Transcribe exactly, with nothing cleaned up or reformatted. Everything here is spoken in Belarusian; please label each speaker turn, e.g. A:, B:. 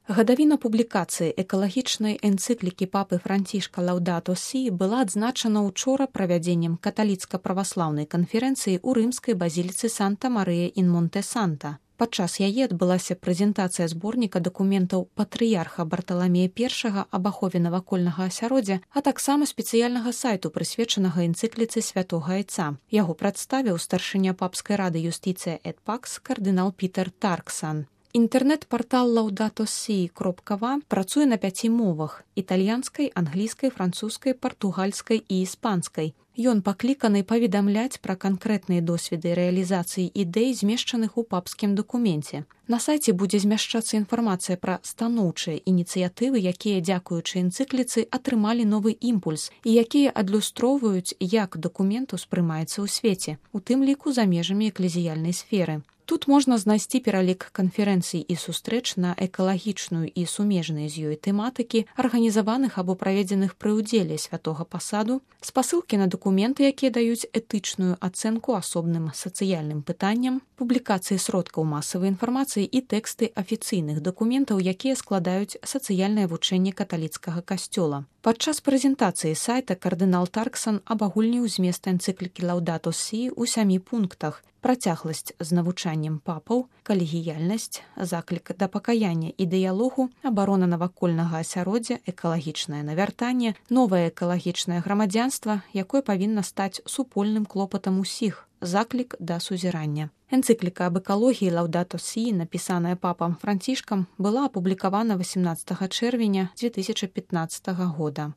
A: Гадавіна публікацыі экалагічнай энцыклікі папы Францішка Лаўдато Сі была адзначана ўчора правядзеннем каталіцка-праваслаўнай канферэнцыі ў рымскай базіліцы Санта-Марыя ін Монте-Санта. Падчас яе адбылася прэзентацыя зборніка дакументаў патрыярха Барталамея першага аб ахове навакольнага асяроддзя, а таксама спецыяльнага сайту, прысвечанага энцыкліцы святога айца. Яго прадставіў старшыня папскай рады юстыцыя эт пакс кардынал Пітер Тарксан. Інтэрнэт-партал лаўдато сі кропка ва працуе на пяці мовах – італьянскай, англійскай, французскай, партугальскай і іспанскай. Ён пакліканы паведамляць пра канкрэтныя досведы рэалізацыі ідэй, змешчаных у папскім дакуменце. На сайце будзе змяшчацца інфармацыя пра станоўчыя ініцыятывы, якія, дзякуючы энцыкліцы, атрымалі новы імпульс і якія адлюстроўваюць, як дакумент успрымаецца ў свеце, у тым ліку за межамі эклезіяльнай сферы. Тут можна знайсці пералік канферэнцый і сустрэч на экалагічную і сумежныя з ёй тэматыкі, арганізаваных або праведзеных пры ўдзеле святога пасаду, спасылкі на дакументы, якія даюць этычную ацэнку асобным сацыяльным пытанням, публікацыі сродкаў масавай інфармацыі і тэксты афіцыйных дакументаў, якія складаюць сацыяльнае вучэнне каталіцкага касцёла. Падчас прэзентацыі сайта кардынал Тарксан абагульніў змест энцыклікі Лаўдато Сі ў сямі пунктах: працягласць з навучаннем папаў, калегіяльнасць, заклік да пакаяння і дыялогу, абарона навакольнага асяроддзя, экалагічнае навяртанне, новае экалагічнае грамадзянства, якое павінна стаць супольным клопатам усіх, заклік да сузірання. Энцыкліка аб экалогіі Лаўдато Сі, напісаная папам Францішкам, была апублікавана васямнаццатага чэрвеня дзве тысячы пятнаццатага года.